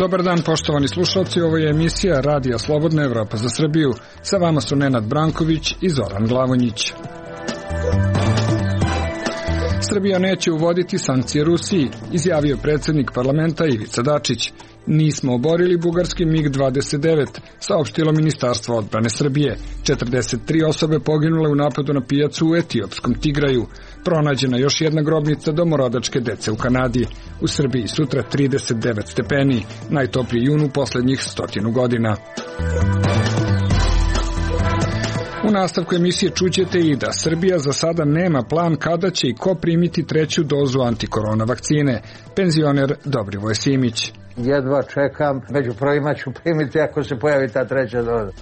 Dobar dan, poštovani slušalci, ovo je emisija Radija Slobodna Evropa za Srbiju. Sa vama su Nenad Branković i Zoran Glavonjić. Srbija neće uvoditi sankcije Rusiji, izjavio predsjednik parlamenta Ivica Dačić. Nismo oborili bugarski MiG-29, saopštilo Ministarstvo odbrane Srbije. 43 osobe poginule u napadu na pijacu u etiopskom Tigraju. Pronađena još jedna grobnica domorodačke dece u Kanadi. U Srbiji sutra 39 stepeni, najtopliji jun u posljednjih 100 godina. U nastavku emisije čućete i da Srbija za sada nema plan kada će i ko primiti treću dozu antikorona vakcine. Penzioner Dobrivoj Simić. Jedva čekam, među prvima ću primiti ako se pojavi ta treća doza.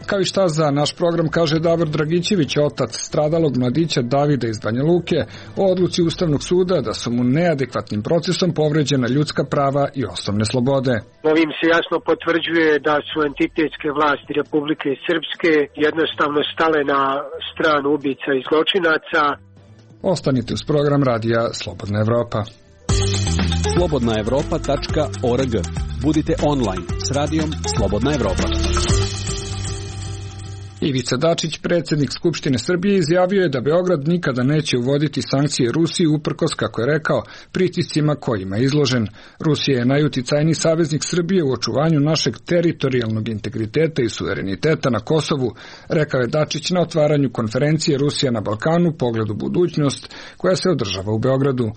Kao i šta za naš program kaže Davor Dragićević, otac stradalog mladića Davida iz Banja Luke, o odluci Ustavnog suda da su mu neadekvatnim procesom povređena ljudska prava i osnovne slobode. Ovim se jasno potvrđuje da su entitetske vlasti Republike Srpske jednostavno stale na stranu ubica i zločinaca. Ostanite uz program Radija Slobodna Evropa. slobodnaevropa.org. Budite online s Radijom Slobodna Evropa. Ivica Dačić, predsjednik Skupštine Srbije, izjavio je da Beograd nikada neće uvoditi sankcije Rusiji uprkos, kako je rekao, pritiscima kojima je izložen. Rusija je najuticajniji saveznik Srbije u očuvanju našeg teritorijalnog integriteta i suvereniteta na Kosovu, rekao je Dačić na otvaranju konferencije Rusija na Balkanu, pogled u budućnost, koja se održava u Beogradu.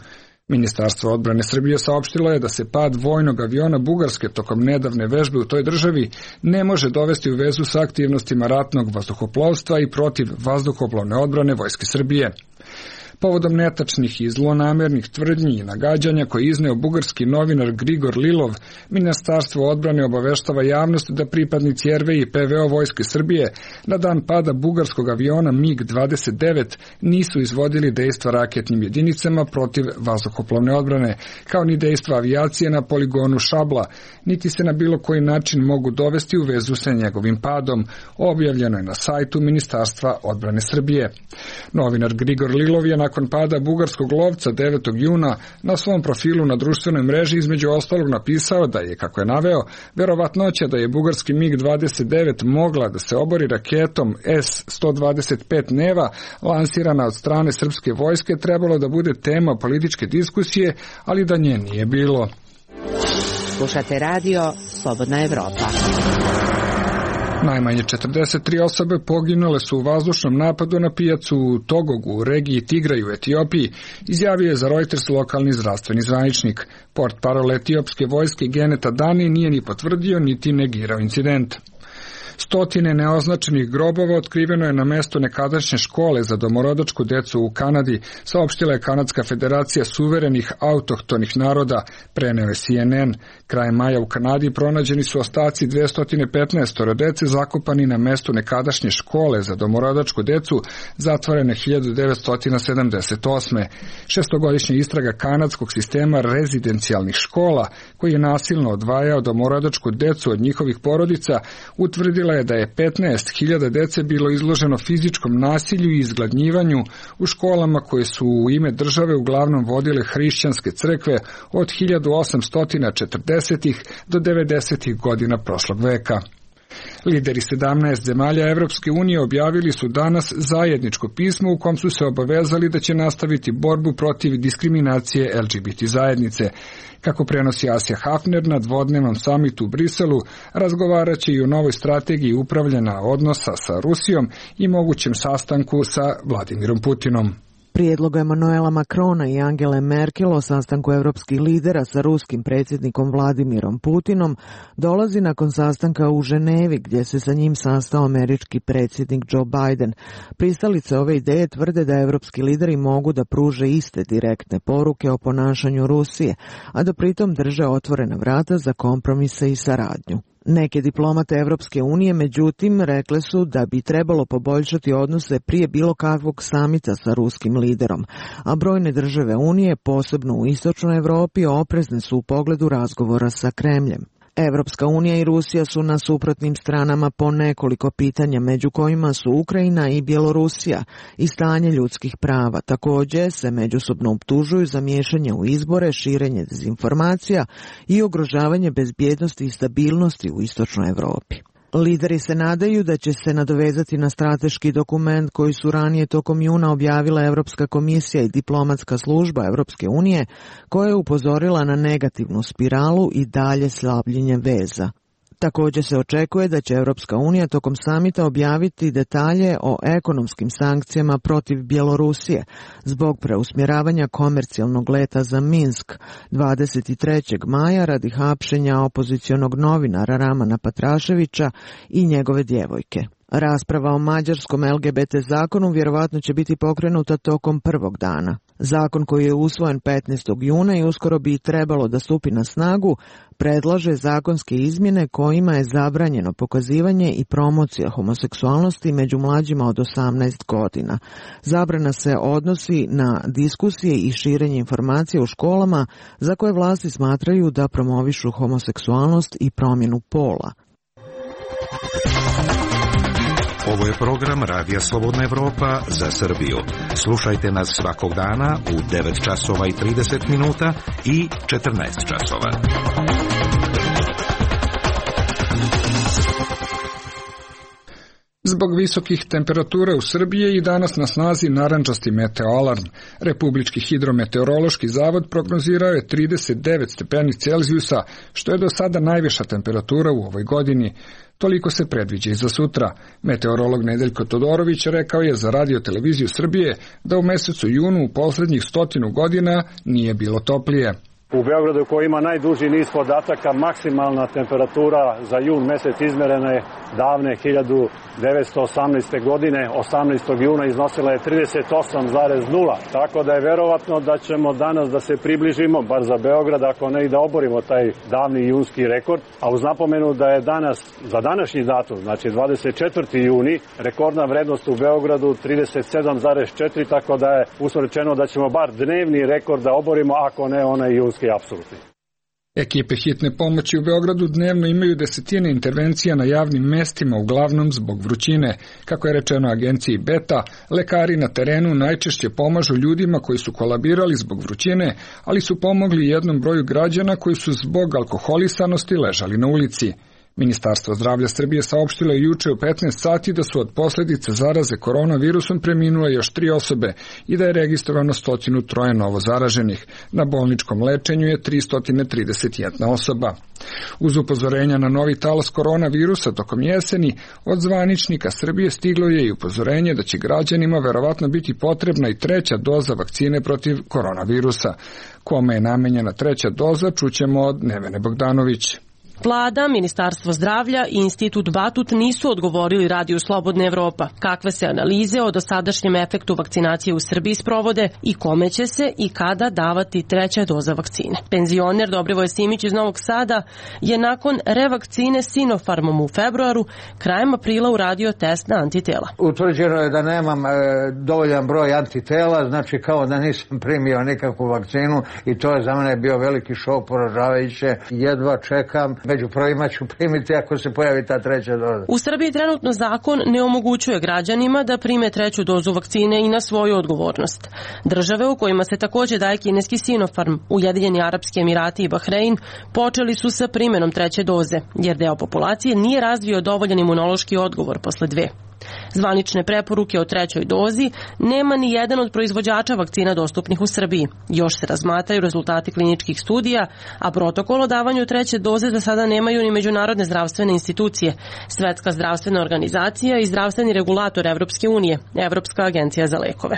Ministarstvo odbrane Srbije saopštilo je da se pad vojnog aviona Bugarske tokom nedavne vežbe u toj državi ne može dovesti u vezu sa aktivnostima ratnog vazduhoplovstva i protiv vazduhoplovne odbrane Vojske Srbije. Povodom netačnih i zlonamernih tvrdnji i nagađanja koje je izneo bugarski novinar Grigor Lilov, Ministarstvo odbrane obaveštava javnost da pripadnici RV i PVO Vojske Srbije na dan pada bugarskog aviona MiG-29 nisu izvodili dejstva raketnim jedinicama protiv vazduhoplovne odbrane, kao ni dejstva avijacije na poligonu Šabla, niti se na bilo koji način mogu dovesti u vezu sa njegovim padom, objavljeno je na sajtu Ministarstva odbrane Srbije. Novinar Grigor Lilov je nakon pada bugarskog lovca 9. juna na svom profilu na društvenoj mreži između ostalog napisao da je, kako je naveo, verovatnoća da je bugarski MiG-29 mogla da se obori raketom S-125 Neva lansirana od strane srpske vojske trebalo da bude tema političke diskusije, ali da nje nije bilo. Slušate radio Slobodna Evropa. Najmanje 43 osobe poginule su u vazdušnom napadu na pijacu u Togogu u regiji Tigraju u Etiopiji, izjavio je za Reuters lokalni zdravstveni zvaničnik. Portparol etiopske vojske Geneta Dani nije ni potvrdio niti negirao incident. Stotine neoznačenih grobova otkriveno je na mestu nekadašnje škole za domorodačku decu u Kanadi, saopštila je Kanadska federacija suverenih autohtonih naroda, preneo je CNN. Krajem maja u Kanadi pronađeni su ostaci 215 dece zakopani na mestu nekadašnje škole za domorodačku decu, zatvorene 1978. Šestogodišnja istraga kanadskog sistema rezidencijalnih škola, koji je nasilno odvajao domorodačku decu od njihovih porodica, utvrdila je da je 15.000 dece bilo izloženo fizičkom nasilju i izgladnjivanju u školama koje su u ime države uglavnom vodile hrišćanske crkve od 1840. do 90. godina prošlog veka. Lideri 17 zemalja Evropske unije objavili su danas zajedničko pismo u kom su se obavezali da će nastaviti borbu protiv diskriminacije LGBT zajednice. Kako prenosi Asja Hafner na dvodnevnom samitu u Briselu, razgovarat će i o novoj strategiji upravljanja odnosa sa Rusijom i mogućem sastanku sa Vladimirom Putinom. Prijedlog Emanuela Macrona i Angele Merkel o sastanku evropskih lidera sa ruskim predsjednikom Vladimirom Putinom dolazi nakon sastanka u Ženevi, gdje se sa njim sastao američki predsjednik Joe Biden. Pristalice ove ideje tvrde da evropski lideri mogu da pruže iste direktne poruke o ponašanju Rusije, a da pritom drže otvorena vrata za kompromise i saradnju. Neke diplomate Evropske unije, međutim, rekle su da bi trebalo poboljšati odnose prije bilo kakvog samita sa ruskim liderom, a brojne države Unije, posebno u istočnoj Evropi, oprezne su u pogledu razgovora sa Kremljem. Evropska unija i Rusija su na suprotnim stranama po nekoliko pitanja, među kojima su Ukrajina i Bjelorusija i stanje ljudskih prava. Također se međusobno optužuju za miješanje u izbore, širenje dezinformacija i ugrožavanje bezbjednosti i stabilnosti u istočnoj Europi. Lideri se nadaju da će se nadovezati na strateški dokument koji su ranije tokom juna objavila Europska komisija i diplomatska služba Europske unije, koja je upozorila na negativnu spiralu i dalje slabljenje veza. Također se očekuje da će Europska unija tokom samita objaviti detalje o ekonomskim sankcijama protiv Bjelorusije zbog preusmjeravanja komercijalnog leta za Minsk 23. maja radi hapšenja opozicionog novinara Ramana Patraševića i njegove djevojke. Rasprava o mađarskom LGBT zakonu vjerovatno će biti pokrenuta tokom prvog dana. Zakon koji je usvojen 15. juna i uskoro bi trebalo da stupi na snagu, predlaže zakonske izmjene kojima je zabranjeno pokazivanje i promocija homoseksualnosti među mlađima od 18 godina. Zabrana se odnosi na diskusije i širenje informacija u školama za koje vlasti smatraju da promovišu homoseksualnost i promjenu pola. Ovo je program Radija Slobodna Evropa za Srbiju. Slušajte nas svakog dana u 9 časova i 30 minuta i 14 časova. Zbog visokih temperatura u Srbiji je i danas na snazi narandžasti meteoalarm. Republički hidrometeorološki zavod prognozirao je 39 stepeni Celzijusa, što je do sada najviša temperatura u ovoj godini. Toliko se predviđa i za sutra. Meteorolog Nedeljko Todorović rekao je za Radio televiziju Srbije da u mesecu junu u posljednjih 100 godina nije bilo toplije. U Beogradu koji ima najduži niz podataka, maksimalna temperatura za jun mesec izmerena je davne 1918. godine, 18. juna iznosila je 38,0. Tako da je verovatno da ćemo danas da se približimo, bar za Beograd, ako ne i da oborimo taj davni junski rekord. A uz napomenu da je danas, za današnji datum, znači 24. juni, rekordna vrednost u Beogradu 37,4, tako da je usmrečeno da ćemo bar dnevni rekord da oborimo, ako ne onaj junski apsolutni. Ekipe hitne pomoći u Beogradu dnevno imaju desetine intervencija na javnim mestima, uglavnom zbog vrućine. Kako je rečeno agenciji Beta, lekari na terenu najčešće pomažu ljudima koji su kolabirali zbog vrućine, ali su pomogli jednom broju građana koji su zbog alkoholisanosti ležali na ulici. Ministarstvo zdravlja Srbije saopštilo je juče u 15 sati da su od posljedice zaraze koronavirusom preminule još 3 osobe i da je registrovano 103 novo zaraženih. Na bolničkom lečenju je 331 osoba. Uz upozorenja na novi talas koronavirusa tokom jeseni, od zvaničnika Srbije stiglo je i upozorenje da će građanima verovatno biti potrebna i 3. doza vakcine protiv koronavirusa. Kome je namenjena 3. doza, čućemo od Nevene Bogdanović. Vlada, Ministarstvo zdravlja i Institut Batut nisu odgovorili Radiju Slobodna Evropa kakve se analize o dosadašnjem efektu vakcinacije u Srbiji sprovode i kome će se i kada davati 3. doza vakcine. Penzioner Dobrivoje Simić iz Novog Sada je nakon revakcine Sinopharmom u februaru krajem aprila uradio test na antitela. Utvrđeno je da nemam dovoljan broj antitela, znači kao da nisam primio nikakvu vakcinu i to je za mene bio veliki šok, poražavajuće. Jedva čekam. Među prvima ću primiti ako se pojavi ta 3. doza. U Srbiji trenutno zakon ne omogućuje građanima da prime 3. dozu vakcine i na svoju odgovornost. Države u kojima se također daje kineski Sinopharm, Ujedinjeni Arapski Emirati i Bahrein, počeli su sa primjenom 3. doze, jer deo populacije nije razvio dovoljan imunološki odgovor posle 2. Zvanične preporuke o 3. dozi nema ni jedan od proizvođača vakcina dostupnih u Srbiji. Još se razmatraju rezultati kliničkih studija, a protokol o davanju 3. doze za sada nemaju ni međunarodne zdravstvene institucije, Svetska zdravstvena organizacija i zdravstveni regulator Evropske unije, Evropska agencija za lekove.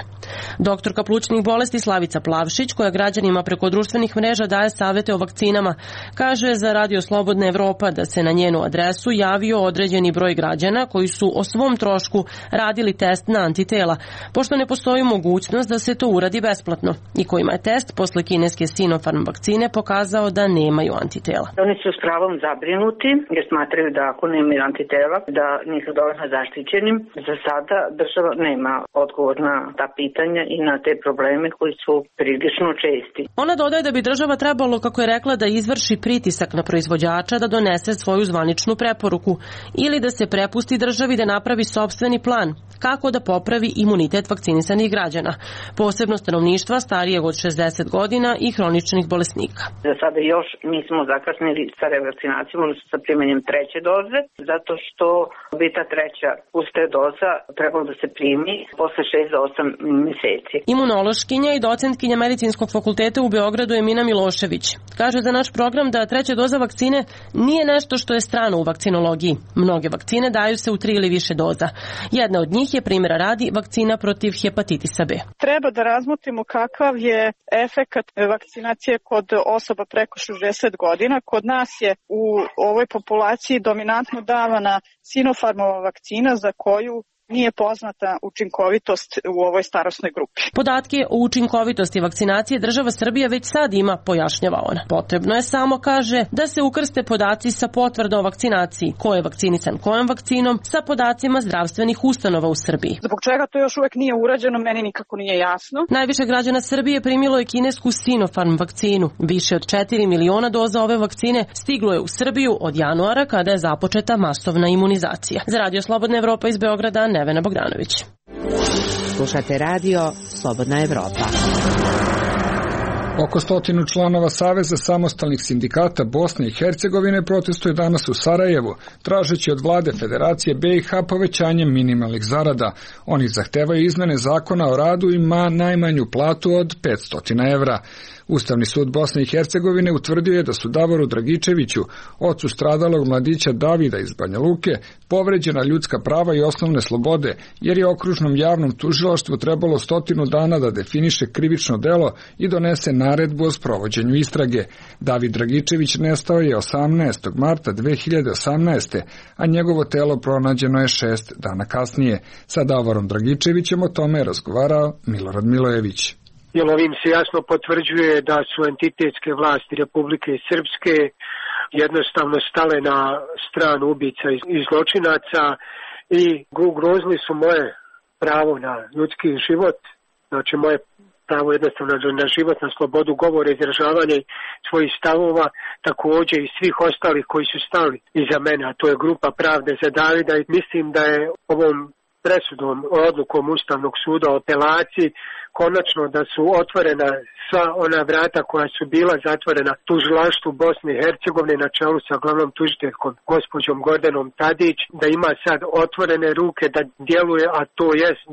Doktorka plućnih bolesti Slavica Plavšić, koja građanima preko društvenih mreža daje savete o vakcinama, kaže za Radio Slobodna Evropa da se na njenu adresu javio određeni broj građana koji su o svom trošku trošku radili test na antitela, pošto ne postoji mogućnost da se to uradi besplatno i kojima je test posle kineske Sinopharm vakcine pokazao da nemaju antitela. Oni su s pravom zabrinuti jer smatraju da ako nemaju antitela da nisu dovoljno zaštićeni. Za sada država nema odgovor na ta pitanja i na te probleme koji su prilično česti. Ona dodaje da bi država trebalo, kako je rekla, da izvrši pritisak na proizvođača da donese svoju zvaničnu preporuku ili da se prepusti državi da napravi sopstveni plan kako da popravi imunitet vakcinisanih građana, posebno stanovništva starijeg od 60 godina i hroničnih bolesnika. Za sada još nismo zakasnili sa revakcinacijom, odnosno sa primanjem treće doze, zato što bi ta treća pusta doza trebalo da se primi posle 6 do 8 meseci. Imunološkinja i docentkinja Medicinskog fakulteta u Beogradu Emina Milošević kaže za naš program da treća doza vakcine nije nešto što je strano u vakcinologiji. Mnoge vakcine daju se u 3 ili više doza. Jedna od njih je, primjera radi, vakcina protiv hepatitisa B. Treba da razmotrimo kakav je efekat vakcinacije kod osoba preko 60 godina. Kod nas je u ovoj populaciji dominantno davana Sinopharmova vakcina za koju nije poznata učinkovitost u ovoj starosnoj grupi. Podatke o učinkovitosti vakcinacije država Srbija već sad ima, pojašnjava ona. Potrebno je samo, kaže, da se ukrste podaci sa potvrdom o vakcinaciji, ko je vakcinisan kojom vakcinom, sa podacima zdravstvenih ustanova u Srbiji. Zbog čega to još uvek nije urađeno, meni nikako nije jasno. Najviše građana Srbije primilo je kinesku Sinopharm vakcinu. Više od 4 miliona doza ove vakcine stiglo je u Srbiju od januara kada je započeta masovna imunizacija. Za Radio Slobodna Evropa iz Beograda, Nevena Bogdanović. Slušate radio Slobodna Evropa. Oko 100 članova Saveza samostalnih sindikata Bosne i Hercegovine protestuje danas u Sarajevu, tražeći od vlade Federacije BiH povećanje minimalnih zarada. Oni zahtevaju izmene zakona o radu i najmanju platu od 500 evra. Ustavni sud Bosne i Hercegovine utvrdio je da su Davoru Dragičeviću, ocu stradalog mladića Davida iz Banja Luke, povređena ljudska prava i osnovne slobode, jer je okružnom javnom tužilaštvu trebalo 100 dana da definiše krivično delo i donese naredbu o sprovođenju istrage. David Dragičević nestao je 18. marta 2018. a njegovo telo pronađeno je 6 dana kasnije. Sa Davorom Dragičevićem o tome je razgovarao Milorad Milojević. Jer ovim se jasno potvrđuje da su entitetske vlasti Republike Srpske jednostavno stale na stranu ubica i zločinaca i ugrozili su moje pravo na ljudski život, znači moje pravo jednostavno na život, na slobodu govora, izražavanja svojih stavova, također i svih ostalih koji su stali iza mene, a to je grupa Pravde za Davida, i mislim da je ovom presudom, odlukom Ustavnog suda o apelaciji konačno da su otvorena sva ona vrata koja su bila zatvorena tužilaštvu Bosne i Hercegovine na čelu sa glavnom tužiteljkom gospođom Gordanom Tadić, da ima sad otvorene ruke da djeluje, a to jest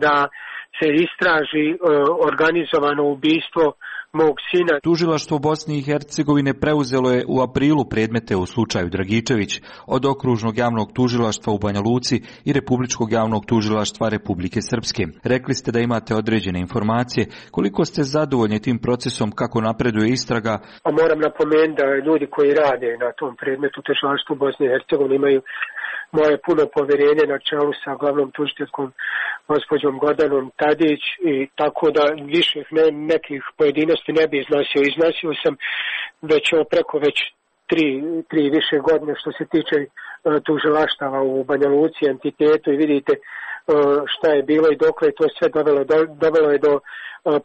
da se istraži organizovano ubistvo mog sina. Tužilaštvo Bosne i Hercegovine preuzelo je u aprilu predmete u slučaju Dragičević od Okružnog javnog tužilaštva u Banja Luci i Republičkog javnog tužilaštva Republike Srpske. Rekli ste da imate određene informacije. Koliko ste zadovoljni tim procesom, kako napreduje istraga? A moram napomenuti da ljudi koji rade na tom predmetu tužilaštvu Bosne i Hercegovine imaju moje puno povjerenje na čelu sa glavnom tužiteljkom gospođom Gordanom Tadić, i tako da više nekih pojedinosti ne bi iznosio. Iznosio sam već preko tri više godine što se tiče tužilaštava u Banja Luci, entitetu, i vidite šta je bilo i dokle je to sve dovelo je do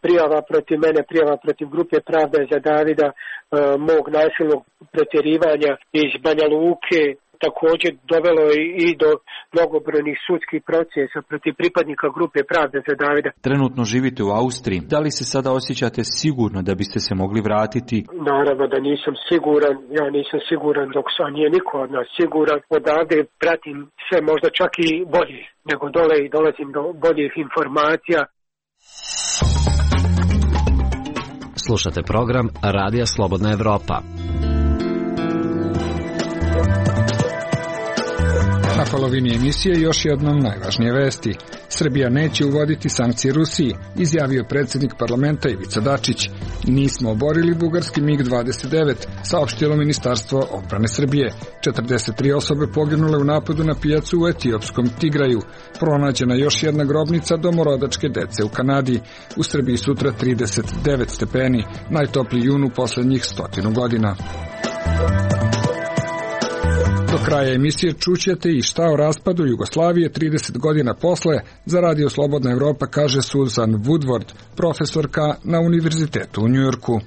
prijava protiv mene, prijava protiv grupe Pravda za Davida, mog nasilnog pretjerivanja iz Banja Luke. Također dovelo je i do mnogobrojnih sudskih procesa protiv pripadnika grupe Pravde za Davida. Trenutno živite u Austriji. Da li se sada osjećate sigurno da biste se mogli vratiti? Naravno da nisam siguran. Ja nisam siguran dok nije niko od nas siguran. Odavde pratim sve možda čak i bolje nego dole i dolazim do boljih informacija. Slušate program Radija Slobodna Evropa. Na polovini emisije još jednom najvažnije vesti. Srbija neće uvoditi sankcije Rusiji, izjavio predsjednik parlamenta Ivica Dačić. Nismo oborili bugarski MiG-29, saopštilo Ministarstvo odbrane Srbije. 43 osobe poginule u napadu na pijacu u etiopskom Tigraju. Pronađena još jedna grobnica domorodačke dece u Kanadi. U Srbiji sutra 39 stepeni, najtopliji jun u posljednjih 100 godina. Do kraja emisije čućete i šta o raspadu Jugoslavije 30 godina posle, za Radio Slobodna Evropa kaže Susan Woodward, profesorka na Univerzitetu u Njujorku.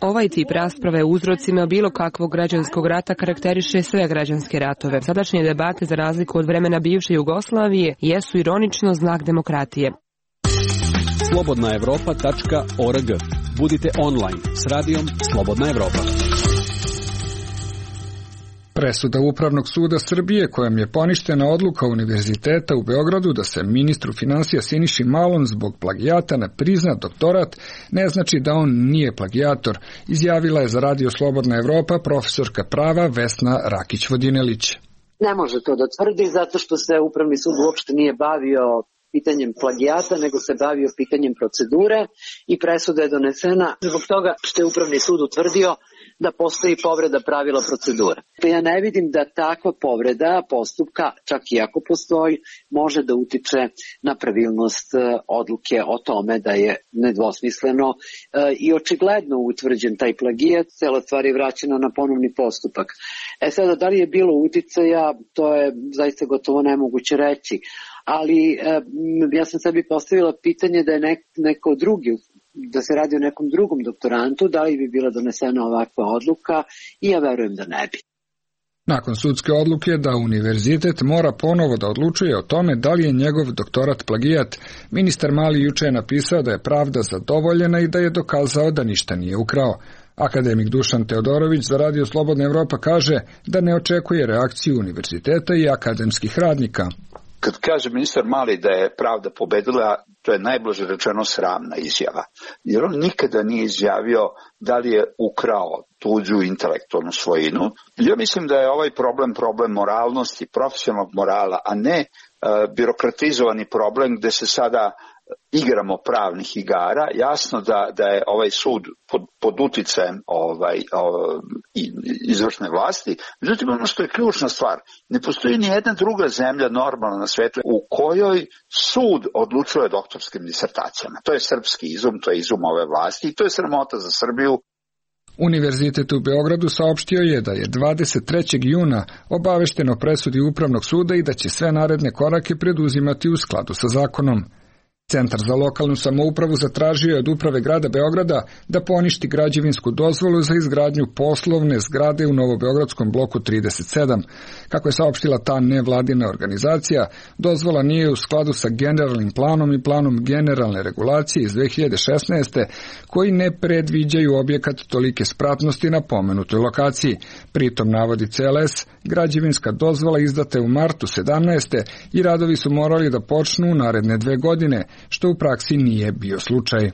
Ovaj tip rasprave o uzrocima bilo kakvog građanskog rata karakteriše sve građanske ratove. Sadašnje debate, za razliku od vremena bivše Jugoslavije, jesu ironično znak demokratije. slobodnaevropa.org. Budite online s radijom Slobodna Evropa. Presuda Upravnog suda Srbije kojom je poništena odluka Univerziteta u Beogradu da se ministru finansija Siniši Malom zbog plagijata ne prizna doktorat ne znači da on nije plagijator, izjavila je za Radio Slobodna Evropa profesorka prava Vesna Rakić-Vodinelić. Ne može to da tvrdi zato što se Upravni sud uopšte nije bavio pitanjem plagijata, nego se bavio pitanjem procedure i presuda je donesena zbog toga što je Upravni sud utvrdio da postoji povreda pravila procedure. Ja ne vidim da takva povreda postupka, čak i ako postoji, može da utiče na pravilnost odluke o tome da je nedvosmisleno i očigledno utvrđen taj plagijat, cela stvar je vraćena na ponovni postupak. Sada, da li je bilo uticaja, to je zaista gotovo nemoguće reći, ali ja sam sebi postavila pitanje da je neko drugi, da se radi o nekom drugom doktorantu, da li bi bila donesena ovakva odluka, i ja verujem da ne bi. Nakon sudske odluke da univerzitet mora ponovo da odlučuje o tome da li je njegov doktorat plagijat, ministar Mali juče je napisao da je pravda zadovoljena i da je dokazao da ništa nije ukrao. Akademik Dušan Teodorović za Radio Slobodna Evropa kaže da ne očekuje reakciju univerziteta i akademskih radnika. Kad kaže ministar Mali da je pravda pobedila, to je najblaže rečeno sramna izjava. Jer on nikada nije izjavio da li je ukrao tuđu intelektualnu svojinu. Ja mislim da je ovaj problem moralnosti, profesionalnog morala, a ne birokratizovani problem gde se sada igramo pravnih igara. Jasno da je ovaj sud pod uticajem izvršne vlasti. Međutim, ono što je ključna stvar, ne postoji ni jedna druga zemlja normalna na svetu u kojoj sud odlučuje o doktorskim disertacijama. To je srpski izum, to je izum ove vlasti i to je sramota za Srbiju. Univerzitet u Beogradu saopštio je da je 23. juna obavešteno presudi Upravnog suda i da će sve naredne korake preduzimati u skladu sa zakonom. Centar za lokalnu samoupravu zatražio je od Uprave grada Beograda da poništi građevinsku dozvolu za izgradnju poslovne zgrade u Novobeogradskom bloku 37. Kako je saopštila ta nevladina organizacija, dozvola nije u skladu sa generalnim planom i planom generalne regulacije iz 2016. koji ne predviđaju objekat tolike spratnosti na pomenutoj lokaciji. Pritom, navodi CLS, građevinska dozvola izdata je u martu 17. i radovi su morali da počnu u naredne 2 godine, što u praksi nije bio slučaj.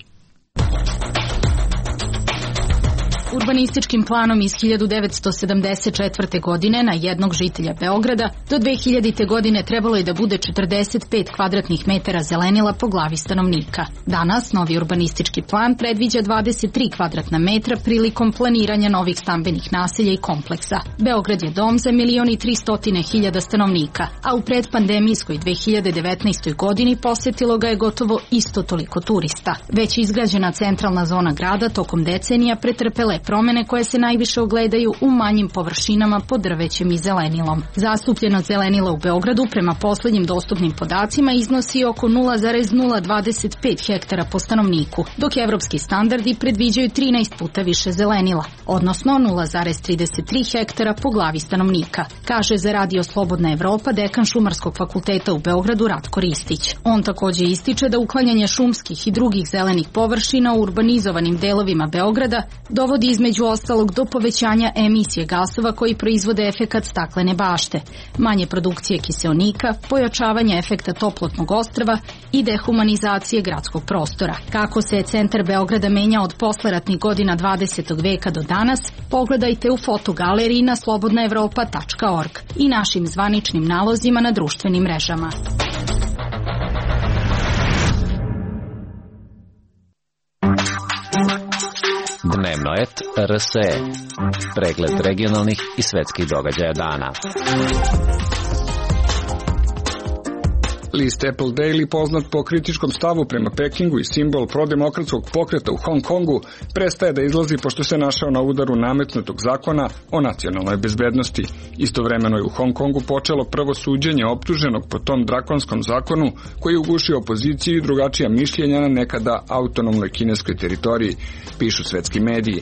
Urbanističkim planom iz 1974. godine na jednog žitelja Beograda do 2000. godine trebalo je da bude 45 kvadratnih metara zelenila po glavi stanovnika. Danas novi urbanistički plan predviđa 23 kvadratna metra prilikom planiranja novih stambenih naselja i kompleksa. Beograd je dom za 1.300.000 stanovnika, a u predpandemijskoj 2019. godini posetilo ga je gotovo isto toliko turista. Već izgrađena centralna zona grada tokom decenija pretrpele promene koje se najviše ogledaju u manjim površinama pod drvećem i zelenilom. Zastupljenost zelenila u Beogradu prema poslednjim dostupnim podacima iznosi oko 0,025 hektara po stanovniku, dok evropski standardi predviđaju 13 puta više zelenila, odnosno 0,33 hektara po glavi stanovnika, kaže za Radio Slobodna Evropa dekan Šumarskog fakulteta u Beogradu Ratko Ristić. On takođe ističe da uklanjanje šumskih i drugih zelenih površina u urbanizovanim delovima Beograda dovodi dovodi između ostalog do povećanja emisije gasova koji proizvode efekat staklene bašte, manje produkcije kiseonika, pojačavanja efekta toplotnog ostrva i dehumanizacije gradskog prostora. Kako se centar Beograda menja od posleratnih godina 20. veka do danas, pogledajte u fotogaleriji na slobodnaevropa.org i našim zvaničnim nalozima na društvenim mrežama. Dnevno et RSE. Pregled regionalnih i svetskih događaja dana. List Apple Daily, poznat po kritičkom stavu prema Pekingu i simbol prodemokratskog pokreta u Hong Kongu, prestaje da izlazi pošto se našao na udaru nametnutog zakona o nacionalnoj bezbednosti. Istovremeno je u Hong Kongu počelo prvo suđenje optuženog po tom drakonskom zakonu koji je ugušio opoziciju i drugačija mišljenja na nekada autonomnoj kineskoj teritoriji, pišu svetski mediji.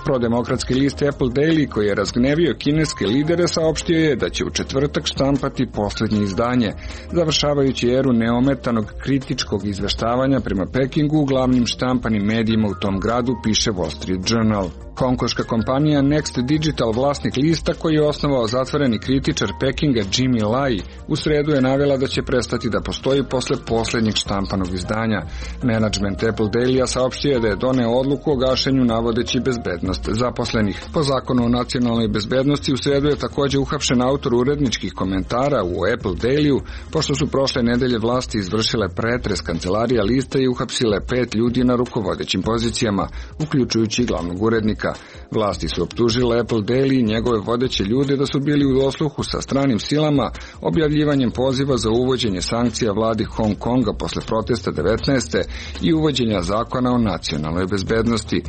Prodemokratski list Apple Daily, koji je razgnevio kineske lidere, saopštio je da će u četvrtak štampati poslednje izdanje, završavajući eru neometanog kritičkog izveštavanja prema Pekingu u glavnim štampanim medijima u tom gradu, piše Wall Street Journal. Hongkonška kompanija Next Digital, vlasnik lista koji je osnovao zatvoreni kritičar Pekinga Jimmy Lai, u sredu je navela da će prestati da postoji posle poslednjeg štampanog izdanja. Menadžment Apple Dailya saopštio je da je doneo odluku o gašenju navodeći bezbednost zaposlenih. Po zakonu o nacionalnoj bezbednosti u sredu je takođe uhapšen autor uredničkih komentara u Apple Dailyu, pošto su prošle nedelje vlasti izvršile pretres kancelarija lista i uhapsile 5 ljudi na rukovodećim pozicijama, uključujući glavnog urednika. Vlasti su optužile Apple Daily i njegove vodeće ljude da su bili u dosluhu sa stranim silama objavljivanjem poziva za uvođenje sankcija vladi Hong Konga posle protesta 19. i uvođenja zakona o nacionalnoj bezbednosti.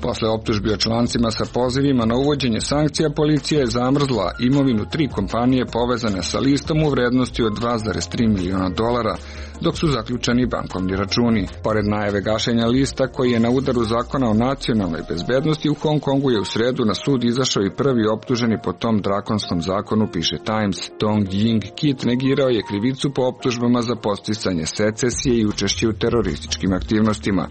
Posle optužbi o člancima sa pozivima na uvođenje sankcija, policija je zamrzla imovinu 3 kompanije povezane sa listom u vrednosti od $2,3 miliona, dok su zaključani bankovni računi. Pored najave gašenja lista koji je na udaru zakona o nacionalnoj bezbednosti, u Hong Kongu je u sredu na sud izašao i prvi optuženi po tom drakonskom zakonu, piše Times. Dong Ying Kit negirao je krivicu po optužbama za podsticanje secesije i učešće u terorističkim aktivnostima.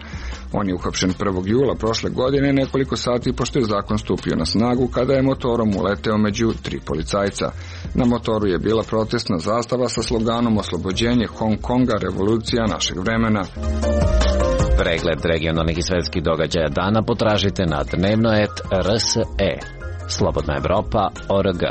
On je uhapšen 1. jula prošle godine, nekoliko sati pošto je zakon stupio na snagu, kada je motorom uleteo među 3 policajca. Na motoru je bila protestna zastava sa sloganom Oslobođenje Hong Konga, revolucija našeg vremena. Pregled regionalnih i svetskih događaja dana potražite na dnevno.rt.RSE. Slobodna Evropa.org.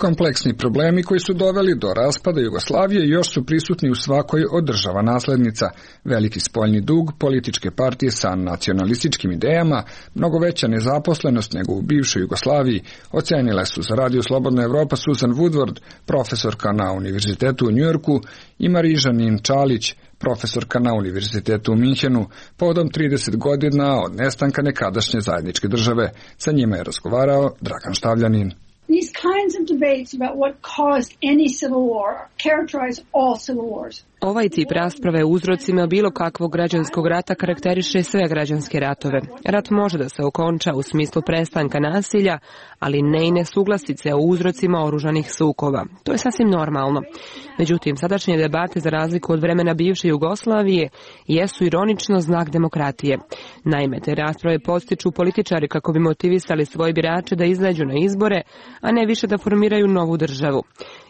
Kompleksni problemi koji su doveli do raspada Jugoslavije još su prisutni u svakoj od država naslednica. Veliki spoljni dug, političke partije sa nacionalističkim idejama, mnogo veća nezaposlenost nego u bivšoj Jugoslaviji, ocenile su za Radio Slobodna Evropa Susan Woodward, profesorka na Univerzitetu u Njujorku, i Marižanin Čalić, profesorka na Univerzitetu u Minhenu, povodom 30 godina od nestanka nekadašnje zajedničke države. Sa njima je razgovarao Dragan Štavljanin. These kinds of debates about what caused any civil war characterize all civil wars. Ovaj tip rasprave o uzrocima bilo kakvog građanskog rata karakteriše sve građanske ratove. Rat može da se okonča u smislu prestanka nasilja, ali ne i nesuglasice o uzrocima oružanih sukoba. To je sasvim normalno. Međutim, sadašnje debate, za razliku od vremena bivše Jugoslavije, jesu ironično znak demokratije. Naime, te rasprave podstiču političari kako bi motivisali svoje birače da izađu na izbore, a ne više da formiraju novu državu.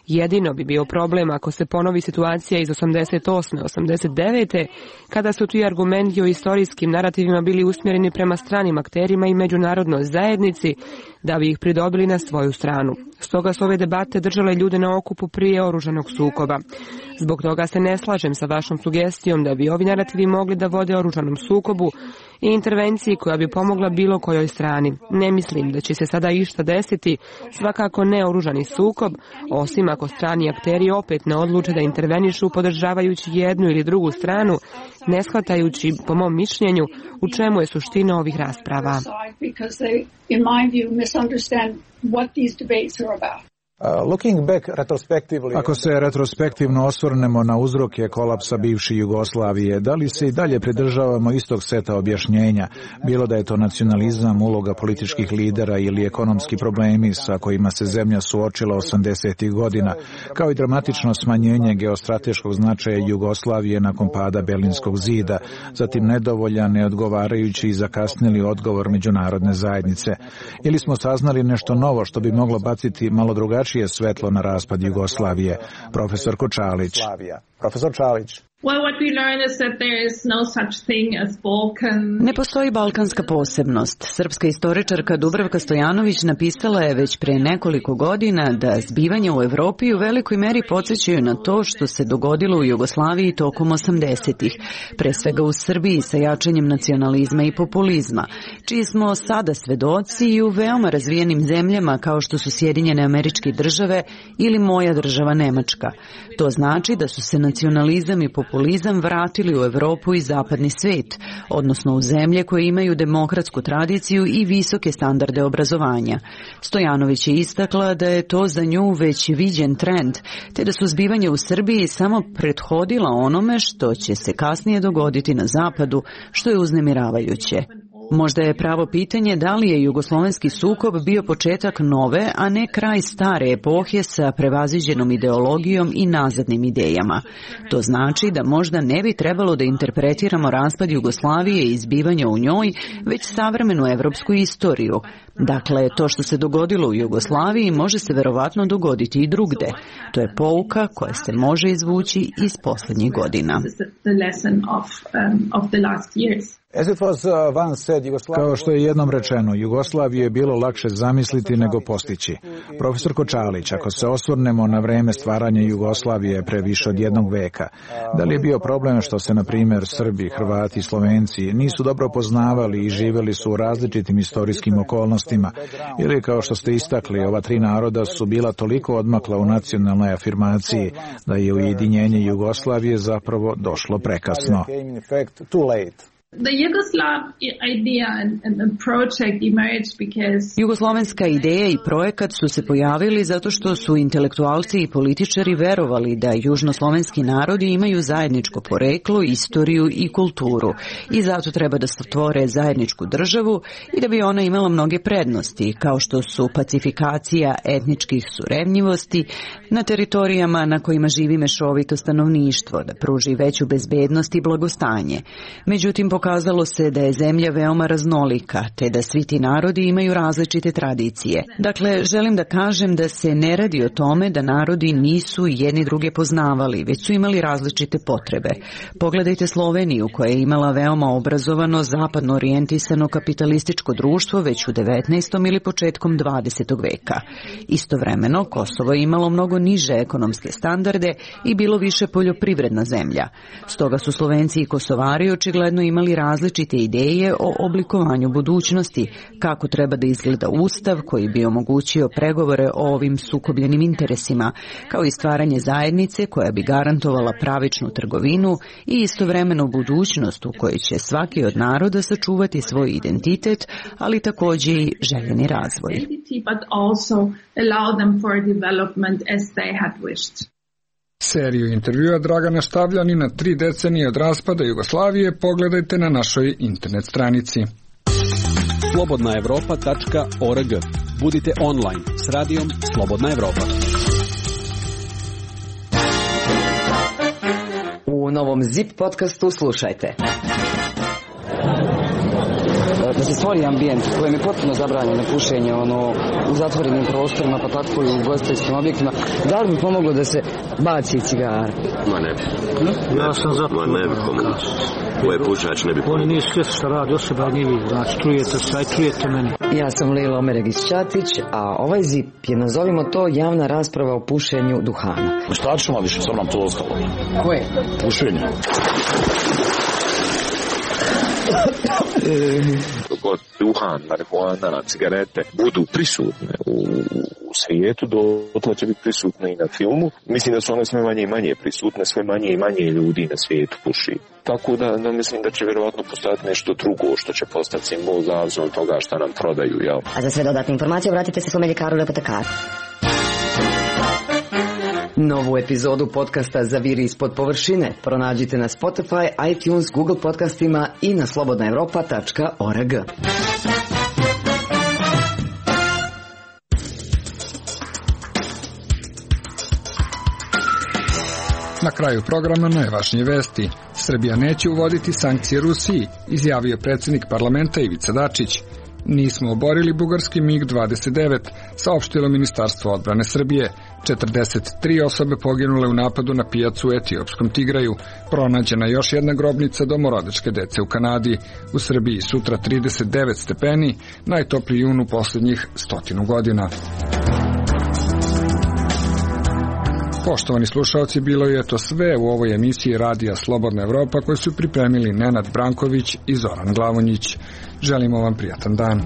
Jedino bi bio problem ako se ponovi situacija iz 88. 89. kada su ti argumenti o istorijskim narativima bili usmjereni prema stranim akterima i međunarodnoj zajednici da bi ih pridobili na svoju stranu. Stoga su ove debate držale ljude na okupu prije oružanog sukoba. Zbog toga se ne slažem sa vašom sugestijom da bi ovi narativi mogli da vode oružanom sukobu i intervenciji koja bi pomogla bilo kojoj strani. Ne mislim da će se sada išta desiti, svakako ne oružani sukob, osim ako strani akteri opet ne odluče da intervenišu podržavajući jednu ili drugu stranu, ne shvatajući, po mom mišljenju, u čemu je suština ovih rasprava. Ako se retrospektivno osvrnemo na uzroke kolapsa bivše Jugoslavije, da li se i dalje pridržavamo istog seta objašnjenja, bilo da je to nacionalizam, uloga političkih lidera ili ekonomski problemi sa kojima se zemlja suočila 80. godina, kao i dramatično smanjenje geostrateškog značaja Jugoslavije nakon pada Berlinskog zida, zatim nedovoljan, neodgovarajući i zakasnili odgovor međunarodne zajednice. Ili smo saznali nešto novo što bi moglo baciti malo drugačije svetlo na raspad Jugoslavije. Profesor Čalić. Ne postoji balkanska posebnost. Srpska istoričarka Dubravka Stojanović napisala je već pre nekoliko godina da zbivanja u Evropi u velikoj meri podsjećaju na to što se dogodilo u Jugoslaviji tokom 80-ih, pre svega u Srbiji sa jačanjem nacionalizma i populizma, čiji smo sada svedoci i u veoma razvijenim zemljama kao što su Sjedinjene Američke Države ili moja država Nemačka. To znači da su se nacionalizam i populizam vratili u Evropu i zapadni svet, odnosno u zemlje koje imaju demokratsku tradiciju i visoke standarde obrazovanja. Stojanović je istakla da je to za nju već viđen trend, te da su zbivanja u Srbiji samo prethodila onome što će se kasnije dogoditi na zapadu, što je uznemiravajuće. Možda je pravo pitanje da li je jugoslovenski sukob bio početak nove, a ne kraj stare epohe sa prevaziđenom ideologijom i nazadnim idejama. To znači da možda ne bi trebalo da interpretiramo raspad Jugoslavije i zbivanja u njoj, već savremenu evropsku istoriju. Dakle, to što se dogodilo u Jugoslaviji može se verovatno dogoditi i drugde. To je pouka koja se može izvući iz poslednjih godina. Kao što je jednom rečeno, Jugoslaviju je bilo lakše zamisliti nego postići. Profesor Čalić, ako se osvrnemo na vreme stvaranja Jugoslavije pre više od jednog veka, da li je bio problem što se, na primjer, Srbi, Hrvati i Slovenci nisu dobro poznavali i živjeli su u različitim istorijskim okolnostima, ili kao što ste istakli, ova tri naroda su bila toliko odmakla u nacionalnoj afirmaciji da je ujedinjenje Jugoslavije zapravo došlo prekasno. Jugoslovenska ideja i projekat su se pojavili zato što su intelektualci i političari verovali da južnoslovenski narodi imaju zajedničko poreklo, istoriju i kulturu i zato treba da stvore zajedničku državu i da bi ona imala mnoge prednosti, kao što su pacifikacija etničkih surevnjivosti na teritorijama na kojima živi mešovito stanovništvo, da pruži veću bezbednost i blagostanje. Međutim, pokazalo se da je zemlja veoma raznolika, te da svi ti narodi imaju različite tradicije. Dakle, želim da kažem da se ne radi o tome da narodi nisu jedni druge poznavali, već su imali različite potrebe. Pogledajte Sloveniju, koja je imala veoma obrazovano, zapadno orijentisano kapitalističko društvo već u 19. ili početkom 20. veka. Istovremeno, Kosovo je imalo mnogo niže ekonomske standarde i bilo više poljoprivredna zemlja. Stoga su Slovenci i Kosovari očigledno imali različite ideje o oblikovanju budućnosti, kako treba da izgleda ustav koji bi omogućio pregovore o ovim sukobljenim interesima, kao i stvaranje zajednice koja bi garantovala pravičnu trgovinu i istovremeno budućnost u kojoj će svaki od naroda sačuvati svoj identitet, ali takođe i željeni razvoj. Seriju intervjua Dragana Štavljanina 3 decenije od raspada Jugoslavije pogledajte na našoj internet stranici. slobodnaevropa.org. Budite online s radijom Slobodna Evropa. U novom ZIP podcastu slušajte. Da se stvori ambijent kojem je potpuno zabranjeno pušenje u zatvorenim prostorima, pa tako i u ugostiteljskim objektima, da li bi pomoglo da se baci cigara? Ma ne bi. Ja sam za to. Ma ne bi pomoglo. Ovaj pušač ne bi pomoglo. Oni nije svjesni šta radi osoba, nije vi. Znači, čujete se, aj čujete meni. Ja sam Lila Omeregić-Ćatić, a ovaj ZIP je, nazovimo to, javna rasprava o pušenju duhana. Šta ćemo više, sam nam to ostalo. Koje? Pušenje. God duhan, marihuana, cigarete budu prisutne u svijetu, dotle će biti prisutne i na filmu. Mislim da su one sve manje i manje prisutne, sve manje i manje ljudi na svijetu puši. Tako da mislim da će vjerovatno postojati nešto drugo što će postati simbol zavisno od toga što nam prodaju. Jel? A za sve dodatne informacije obratite se svome ljekaru ili apotekaru. Novu epizodu podcasta Zaviri ispod površine pronađite na Spotify, iTunes, Google podcastima i na slobodnaevropa.org. Na kraju programa najvažnije vesti. Srbija neće uvoditi sankcije Rusiji, izjavio predsjednik parlamenta Ivica Dačić. Nismo oborili bugarski MiG-29, saopštilo Ministarstvo odbrane Srbije. 43 osobe poginule u napadu na pijacu u etiopskom Tigraju. Pronađena još jedna grobnica domorodačke dece u Kanadi. U Srbiji sutra 39 stepeni, najtopliji jun u posljednjih 100 godina. Poštovani slušalci, bilo je to sve u ovoj emisiji Radija Slobodna Evropa koju su pripremili Nenad Branković i Zoran Glavonjić. Želimo vam prijatan dan.